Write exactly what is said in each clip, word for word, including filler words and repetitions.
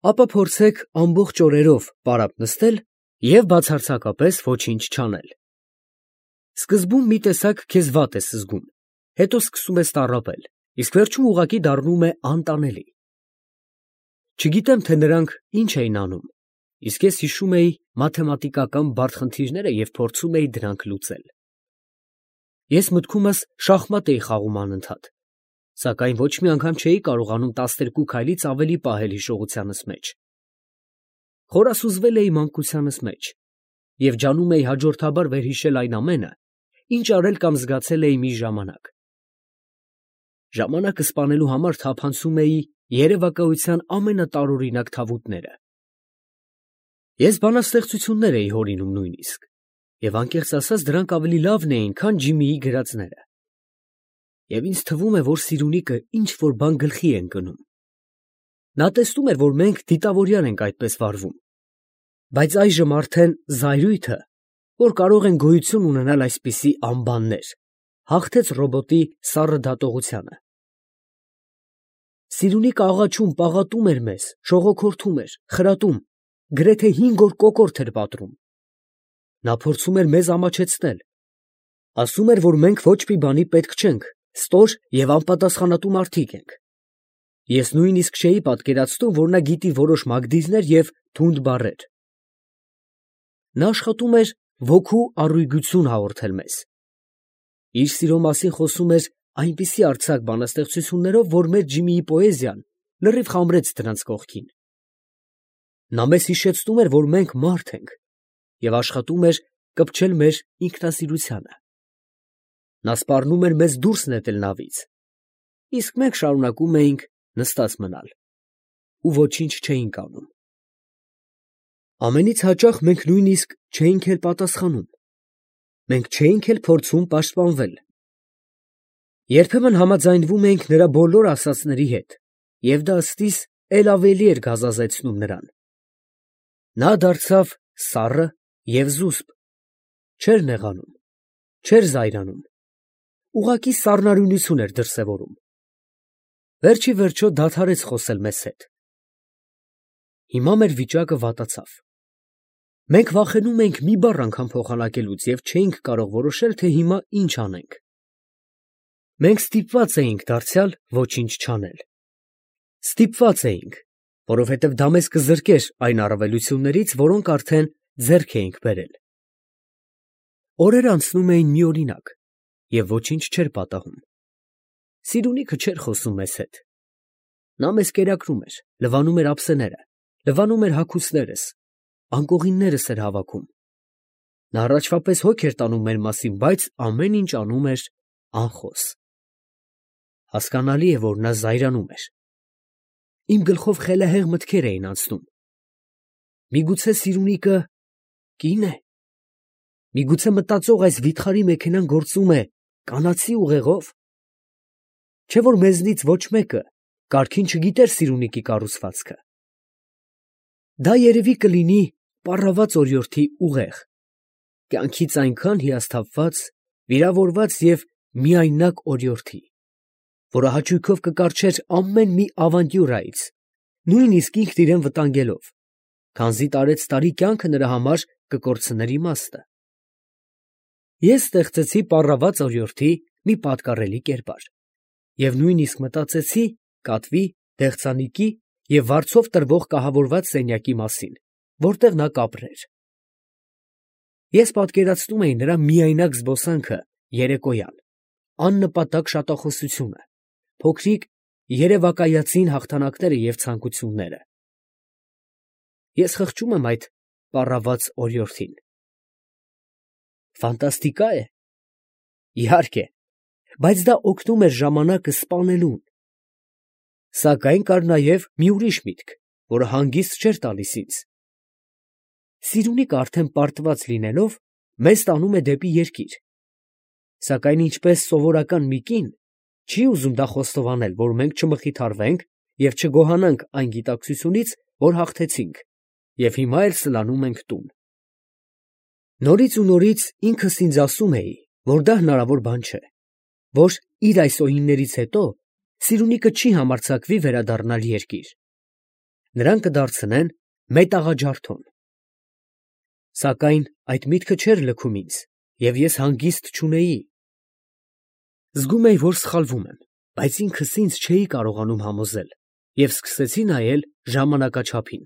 ապա փորձեք ամբողջ օրերով պարապ նստել և բացարձակապես ոչինչ չանել։ Սկզբում մի տեսակ քեզ վատ ես զգում, հետո սկսում ես տառապել, իսկ վերջում ուղղակի դառնում է անտանելի։ Չգիտեմ, թե նրանք ինչ էին անում, իսկ ես հիշում էի մաթեմատիկական բարդ խնդիրները և փորձում էի դրանք լուծել։ Ես մտքումս շախմատ էի խաղում անընդհատ, սակայն ոչ մի անգամ չէի կարողանում տասներկու քայլից ավելի պահել հիշողությանս մեջ։ Խորասուզվել էի մանկությանս մեջ և ջանում էի հաջորդաբար վերհիշել այն ամենը, ինչ արել կամ զգացել էի մի ժամանակ։ Ժամանակը սպանելու համար թափանցում էի երևակայության ամենատարօրինակ թավուտները։ Ես բանաստեղծություններ էի հորինում նույնիսկ, և անկեղծ ասած, դրանք ավելի լավն էին, քան Ջիմիի գրածները։ Եվ ինձ թվում է, որ Սիրունիկը ինչ֊որ բան գլխի է ընկնում։ Նա տեսնում էր, որ մենք դիտավորյալ ենք այդպես վարվում, բայց այժմ արդեն զայրույթը, որ կարող են գոյություն ունենալ այսպիսի անբաններ, հաղթեց ռոբոտի սառը դատողությանը։ Սիրունիկը աղաչում, պաղատում էր մեզ, շողոքորթում էր, խրատում, գրեթե հինգ օր կոկորդ էր պատռում։ Նա փորձում էր մեզ ամաչեցնել, ասում էր, որ մենք ոչ մի բանի պետք չենք, ստոր և անպատասխանատու մարդիկ ենք։ Ես նույնիսկ չէի պատկերացնում, որ նա գիտի որոշ մագդիրներ և թունդ բառեր։ Նա աշխատում էր ոգու առույգություն հաղորդել մեզ։ Իր սիրո մասին խոսում էր այնպիսի արձակ բանաստեղծություններով, որ մեր Ջիմիի պոեզիան լրիվ խամրեց դրանց կողքին։ Նա մեզ հիշեցնում էր, որ մենք մարդ ենք, և աշխատում էր կպչել մեր ինքնասիրությանը։ Նա սպառնում էր մեզ դուրս նետել նավից, իսկ մենք շարունակում էինք նստած մնալ ու ոչինչ չէինք անում։ Ամենից հաճախ մենք նույնիսկ չէինք էլ պատասխանում, մենք չէինք էլ փորձում պաշտպանվել։ Երբեմն համաձայնվում էինք նրա բոլոր ասածների հետ, և դա ըստիս էլ ավելի էր գազազեցնում նրան։ Նա դարձավ սառը և զուսպ, չէր նեղանում, չէր զայրանում, ուղղակի սառնարյունություն էր դրսևորում։ Վերջիվերջո դադարեց խոսել մեզ հետ։ Հիմա մեր վիճակը վատացավ։ Մենք վախենում էինք մի բառ անգամ փոխանակելուց և չէինք կարող որոշել, թե հիմա ինչ անենք։ Մենք ստիպված էինք դարձյալ ոչինչ չանել։ Ստիպված էինք, որովհետև դա մեզ կզրկեր այն առավելություններից, որոնք արդեն ձեռք էինք բերել։ Օրերն անցնում էին միօրինակ, և ոչինչ չէր պատահում։ Սիրունիկը չէր խոսում մեզ հետ։ Նա մեզ կերակրում էր, լվանում էր ափսեները, լվանում էր հագուստներս, անկողիններս էր հավաքում։ Նա առաջվա պես հոգ էր տանում մեր մասին, բայց ամեն ինչ անում էր անխոս։ Հասկանալի է, որ նա զայրանում էր։ Իմ գլխով խելահեղ մտքեր էին անցնում. միգուցե Սիրունիկը կի՞ն է։ Միգուցե մտածող այս վիթխարի մեքենան գործում է կանացի ուղեղով։ Չէ՞ որ մեզնից ոչ մեկը կարգին չգիտեր Սիրունիկի կառուցվածքը։ Դա երևի կլինի պառաված օրիորդի ուղեղ, կյանքից այնքան հիասթափված, վիրավորված և միայնակ օրիորդի, որը հաճույքով կկառչեր ամեն մի ավանտյուրայից, նույնիսկ ինքն իրան վտանգելով, քանզի տարեցտարի կյանքը նրա համար կկորցներ իմաստը։ Ես ստեղծեցի պառաված օրիորդի մի պատկառելի կերպար և նույնիսկ մտածեցի կատվի, դեղցանիկի և վարձով տրվող կահավորված սենյակի մասին, որտեղ նա կապրեր։ Ես պատկերացնում էի նրա միայնակ զբոսանքը երեկոյան, աննպատակ շատախոսությունը, փոքրիկ երևակայածին հաղթանակները և ցանկությունները։ Ես խղճում եմ այդ պառաված օրիորդին։ Ֆանտաստիկա՞ է։ Իհարկե, բայց դա օգնում էր ժամանակը սպանելուն։ Սակայն կար նաև մի ուրիշ միտք, որը հանգիստ չէր տալիս ինձ։ Սիրունիկը արդեն պարտված լինելով, մեզ տանում է դեպի երկիր, սակայն ինչպես սովորական մի կին, չի ուզում դա խոստովանել, որ մենք չմխիթարվենք և չգոհանանք այն գիտակցությունից, որ հաղթեցինք, և հիմա էլ սլանում ենք տուն։ Նորից ու նորից ինքս ինձ ասում էի, որ դա հնարավոր բան չէ, որ իր այս օյիններից հետո Սիրունիկը չի համարձակվի վերադառնալ երկիր։ նրան կդարձնեն մետաղաջարդոն։ Սակայն այդ միտքը չէր լքում ինձ, և ես հանգիստ չունեի։ Զգում էի, որ սխալվում եմ, բայց ինքս ինձ չէի կարողանում համոզել և սկսեցի նայել ժամանակաչափին։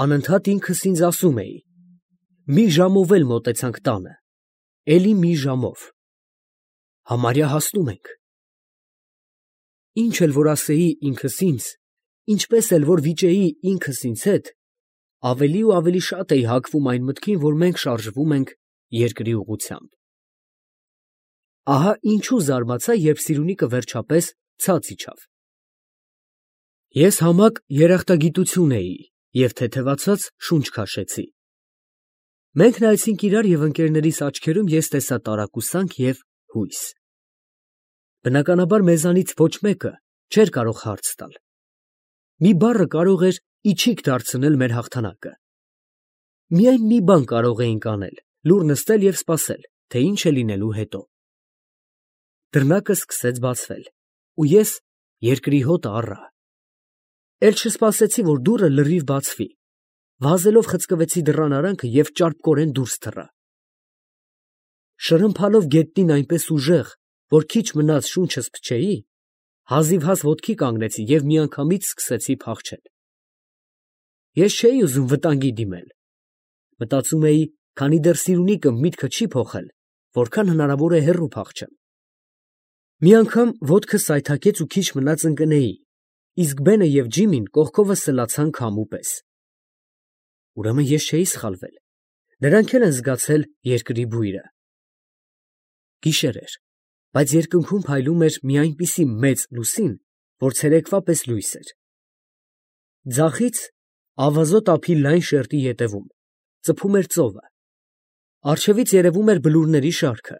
Անընդհատ ինքս ինձ ասում էի. մի ժամով էլ մոտեցանք տանը, էլի մի ժամով, համարյա հասնում ենք։ Ինչ էլ որ ասեի ինքս ինձ, ինչպես էլ որ վիճեի ինքս ինձ հետ, ավելի ու ավելի շատ էի հակվում այն մտքին, որ մենք շարժվում ենք երկրի ուղղությամբ։ Ահա ինչու զարմացա, երբ Սիրունիկը վերջապես ցած իջավ։ Ես համակ երախտագիտություն էի և թեթևացած շունչ քաշեցի։ Մենք նայեցինք իրար և ընկերներիս աչքերում ես տեսա տարակուսանք և հույս։ Բնականաբար մեզանից ոչ մեկը չէր կարող հարց տալ։ Մի բառը կարող էր իչիք դարձնել մեր հաղթանակը։ Միայն մի բան կարող էինք անել՝ լուռ նստել և սպասել, թե ինչ է լինելու հետո։ Դռնակը սկսեց բացվել, ու ես երկրի հոտը առա։ Էլ չսպասեցի, որ դուռը լրիվ բացվի, վազելով խցկվեցի դռան արանքը և ճարպկորեն դուրս թռա։ Շրմփալով գետնին այնպես ուժեղ, որ քիչ մնաց շունչս փչեի, հազիվհազ ոտքի կանգնեցի և միանգամից սկսեցի փախչել։ Ես չէի ուզում վտանգի դիմել։ Մտածում էի, քանի դեռ Սիրունիկը միտքը չի փոխել, որքան հնարավոր է հեռու փախչեմ։ Մի անգամ ոտքս սայթաքեց ու քիչ մնաց ընկնեի, իսկ Բենը և Ջիմին կողքովս սլացան քամու պես։ Ուրեմն ես չէի սխալվել, նրանք էլ են զգացել երկրի բույրը։ Գիշեր էր, բայց երկնքում փայլում էր մի այնպիսի մեծ լուսին, որ ցերեկվա պես լույս էր։ Ձախից, ավազոտ ափի լայն շերտի ետևում, ծփում էր ծովը, առջևից երևում էր բլուրների շարքը,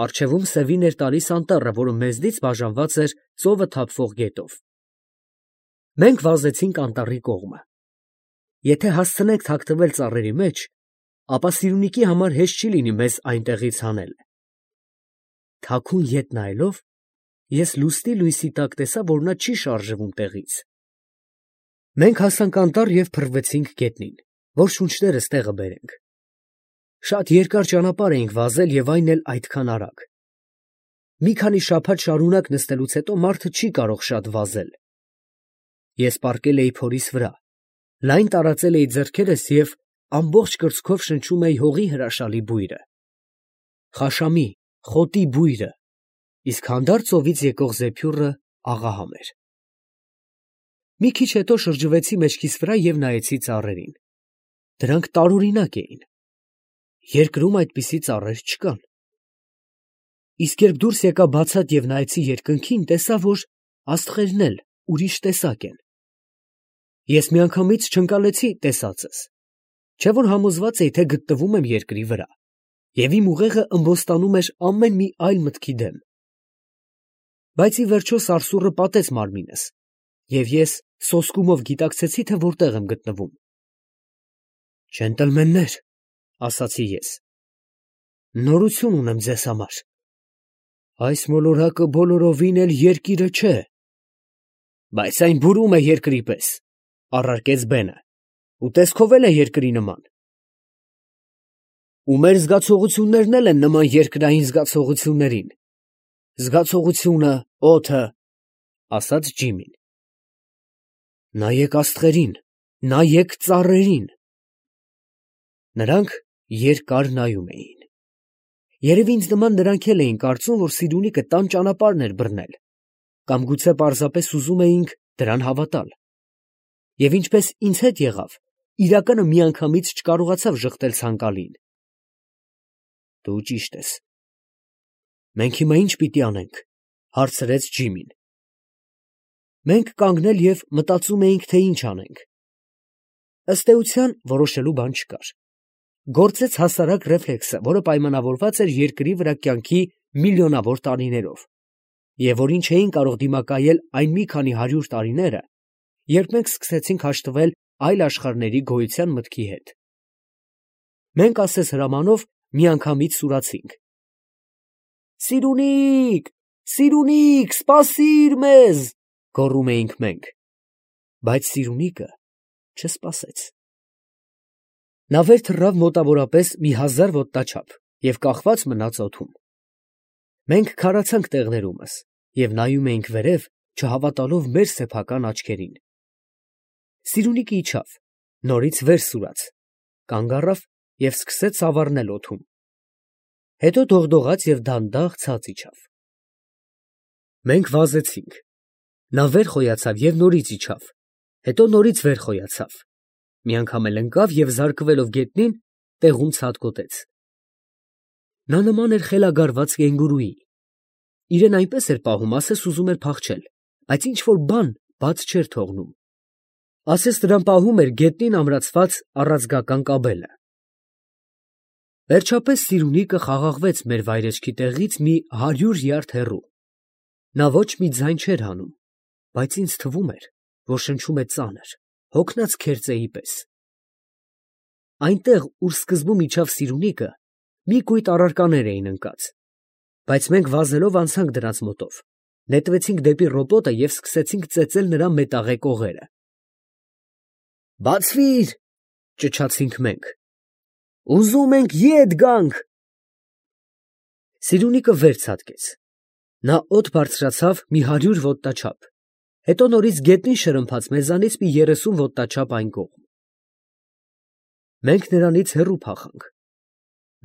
առջևում սևին էր տալիս անտառը, որը մեզնից բաժանված էր ծովը թափվող գետով։ Մենք վազեցինք անտառի կողմը։ Եթե հասցնենք թաքնվել ծառերի մեջ, ապա Սիրունիկի համար հեշտ չի լինի մեզ այնտեղից հանել։ Թաքուն ետ նայելով, ես լուսնի լույսի տակ տեսա, որ նա չի շարժվում տեղից։ Մենք հասանք անտառ և փռվեցինք գետնին, որ շունչներս տեղը բերենք։ Շատ երկար ճանապարհ էինք վազել և այն էլ այդքան արագ։ Մի քանի շաբաթ շարունակ նստելուց հետո մարդը չի կարող շատ վազել։ Ես պառկել էի փորիս վրա, լայն տարածել էի ձեռքերս և ամբողջ կրծքով շնչում էի հողի հրաշալի բույրը։ Խաշամի, խոտի բույրը, իսկ հանդարտ ծովից եկող զեփյուռը աղահամ էր։ Մի քիչ հետո շրջվեցի մեջքիս վրա և նայեցի ծառերին։ Դրանք տարօրինակ էին։ Երկրում այդպիսի ծառեր չկան։ Իսկ երբ դուրս եկա բացատ և նայեցի երկնքին, տեսա, որ աստղերն էլ ուրիշ տեսակ են։ Ես միանգամից չընկալեցի տեսածս, չէ որ համոզված էի, թե գտնվում եմ երկրի վրա, և իմ ուղեղը ըմբոստանում էր ամեն մի այլ մտքի դեմ։ Բայց ի վերջո սարսուռը պատեց մարմինս, և ես սոսկումով գիտակցեցի, թե որտեղ եմ գտնվում։ «Ջենտլմեններ, ֊ ասացի ես, ֊ նորություն ունեմ ձեզ համար. այս մոլորակը բոլորովին էլ երկիրը չէ»։ «Բայց այն բուրում է երկրի պես, ֊ առարկեց Բենը, ֊ ու տեսքով էլ է երկրի նման»։ «Ու մեր զգացողություններն էլ են նման երկրային զգացողություններին, զգացողությունը, օդը, ֊ ասաց Ջիմին։ Նայեք աստղերին, նայեք ծառերին։ Նրանք երկար նայում էին։ Երևի ինձ նման նրանք էլ էին կարծում, որ Սիրունիկը տան ճանապարհն էր բռնել, կամ գուցե պարզապես ուզում էինք դրան հավատալ։ Եվ ինչպես ինձ հետ եղավ, իրականը միանգամից չկարողացավ ժխտել ցանկալին։ «Դու ճիշտ ես։ Մենք հիմա ի՞նչ պիտի անենք, ֊ հարցրեց Ջիմին։ Մենք կանգնել և մտածում էինք, թե ինչ անենք։ Ըստ էության, որոշելու բան չկար։ Գործեց հասարակ ռեֆլեքսը, որը պայմանավորված էր երկրի վրա կյանքի միլիոնավոր տարիներով, և որին չէին կարող դիմակայել այն մի քանի հարյուր տարիները, երբ մենք սկսեցինք հաշտվել այլ աշխարհների գոյության մտքի հետ։ Մենք ասես հրամանով միանգամից սուրացինք. «Սիրունի՜կ, Սիրունի՜կ, սպասի՛ր մեզ», գոռում էինք մենք։ Բայց Սիրունիկը չսպասեց։ Նա վեր թռավ մոտավորապես մի հազար ոտնաչափ և կախված մնաց օդում։ Մենք քարացանք տեղներումս և նայում էինք վերև, չհավատալով մեր սեփական աչքերին։ Սիրունիկը իջավ, նորից վեր սուրաց, կանգ առավ և սկսեց սավառնել օդում։ Հետո դողդողաց և դանդաղ ցած իջավ։ Մենք վազեցինք։ Նա վեր խոյացավ և նորից իջավ, հետո նորից վեր խոյացավ, մի անգամ էլ ընկավ և զարկվելով գետնին, տեղում ցատկոտեց։ Նա նման էր խելագարված կենգուրուի։ Իրեն այնպես էր պահում, ասես ուզում էր փախչել, բայց ինչ֊որ բան բաց չէր թողնում։ Ասես նրան պահում էր գետնին ամրացված առաձգական կաբելը։ Վերջապես Սիրունիկը խաղաղվեց մեր վայրեջքի տեղից մի հարյուր յարդ հեռու։ Նա ոչ մի ձայն չէր հանում, բայց ինձ թվում էր, որ շնչում է ծանր, հոգնած քերծեի պես։ Այնտեղ, ուր սկզբում իջավ Սիրունիկը, մի կույտ առարկաներ էին ընկած, բայց մենք վազելով անցանք դրանց մոտով, նետվեցինք դեպի ռոպոտը և սկսեցինք ծեծել նրա մետաղե կողերը։ «Բացվի՛ր», ճչացինք մենք, «ուզում ենք ետ գանք»։ Սիրունիկը վեր ցատկեց։ Նա օդ բարձրացավ մի հարյուր ոտնաչափ, հետո նորից գետնին շրմփաց մեզանից մի երեսուն ոտնաչափ այն կողմ։ Մենք նրանից հեռու փախանք։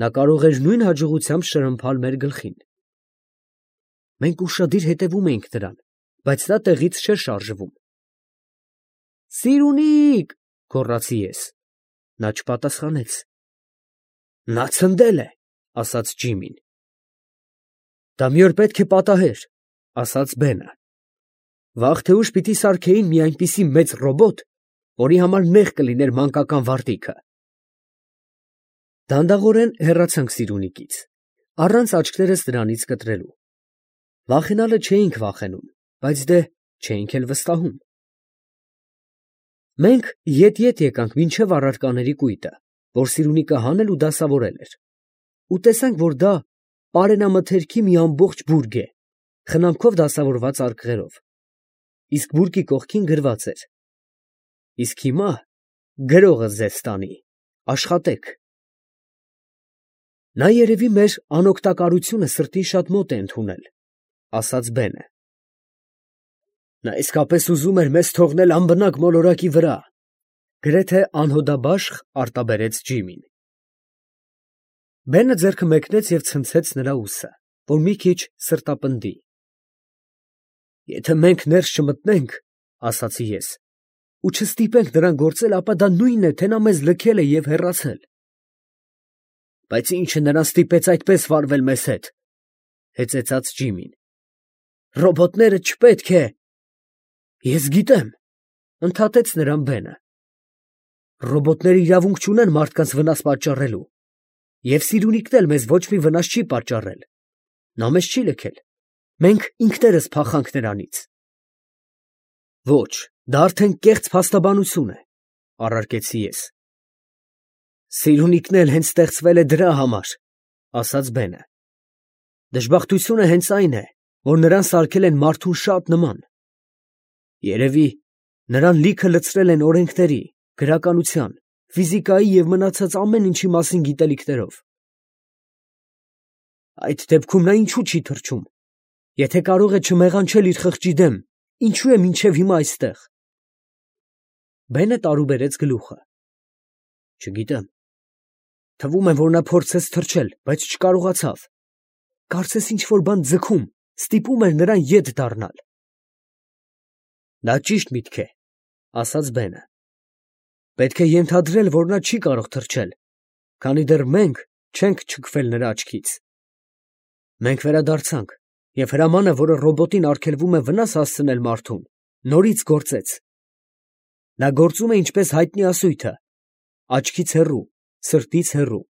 Նա կարող էր նույն հաջողությամբ շրմփալ մեր գլխին։ Մենք ուշադիր հետևում էինք նրան, բայց նա տեղից չէր շարժվում։ «Սիրունի՜կ», գոռացի ես։ Նա չպատասխանեց։ «Նա ցնդել է», ասաց Ջիմին։ «Դա մի օր պետք է պատահեր», ասաց Բենը։ «Վաղ թե ուշ պիտի սարքեին մի այնպիսի մեծ ռոբոտ, որի համար նեղ կլիներ մանկական վարտիքը»։ Դանդաղորեն հեռացանք Սիրունիկից, առանց աչքերս նրանից կտրելու։ Վախենալը չէինք վախենում, բայց դե չէինք էլ վստահում։ Մենք ետ֊ետ եկանք մինչև առարկաների կույտը, որ Սիրունիկը հանել ու դասավորել էր, ու տեսանք, որ դա պարենամթերքի մի ամբողջ բուրգ է, խնամքով դասավորված արկղերով, իսկ բուրգի կողքին գրված էր. «Իսկ հիմա գրողը ձեզ տանի, աշխատեք»։ Նա երևի մեր անօգտակարությունը սրտին շատ մոտ է ընդունել, ասաց Բենը։ Նա իսկապես ուզում էր մեզ թողնել անբնակ մոլորակի վրա, գրեթե անհոդաբաշխ արտաբերեց Ջիմին։ Բենը ձեռքը մեկնեց և ցնցեց նրա ուսը, որ մի քիչ սրտապնդի։ Եթե մենք ներս չմտնենք, ասացի ես, ու չստիպենք նրան գործել, ապա դա նույնն է, թե նա մեզ լքել է և հեռացել։ Բայց ի՞նչը նրան ստիպեց այդպես վարվել մեզ հետ, հեծեծաց Ջիմին։ Ռոբոտները չպետք է… Ես գիտեմ, ընդհատեց նրան Բենը։ Ռոբոտները իրավունք չունեն մարդկանց վնաս պատճառելու, և Սիրունիկն էլ մեզ ոչ մի վնաս չի պատճառել։ Նա մեզ չի լքել, մենք ինքներս փախանք նրանից։ Ոչ, դա արդեն կեղծ փաստաբանություն է, առարկեցի ես։ Սիրունիկն էլ հենց ստեղծվել է դրա համար, ասաց Բենը։ Դժբախտությունը հենց այն է, որ նրան սարքել են մարդուն շատ նման։ Երևի նրան լիքը լցրել են օրենքների, գրականության, ֆիզիկայի և մնացած ամեն ինչի մասին գիտելիքներով։ Այդ դեպքում նա ինչու չի թռչում։ Եթե կարող է չմեղանչել իր խղճի դեմ, ինչու է մինչև հիմա այստեղ։ Բենը տարուբերեց գլուխը։ Չգիտեմ։ Թվում է, որ նա փորձեց թռչել, բայց չկարողացավ։ Կարծես ինչ֊որ բան ձգում, ստիպում էր նրան ետ դառնալ։ Դա ճիշտ միտք է, ասաց Բենը։ Պետք է ենթադրել, որ նա չի կարող թռչել, քանի դեռ մենք չենք չքվել նրա աչքից։ Մենք վերադարձանք, և հրամանը, որը ռոբոտին արգելվում է վնաս հասցնել մարդուն, նորից գործեց։ Նա գործում է ինչպես հայտնի ասույթը, աչքից հեռու, սրտից հեռու։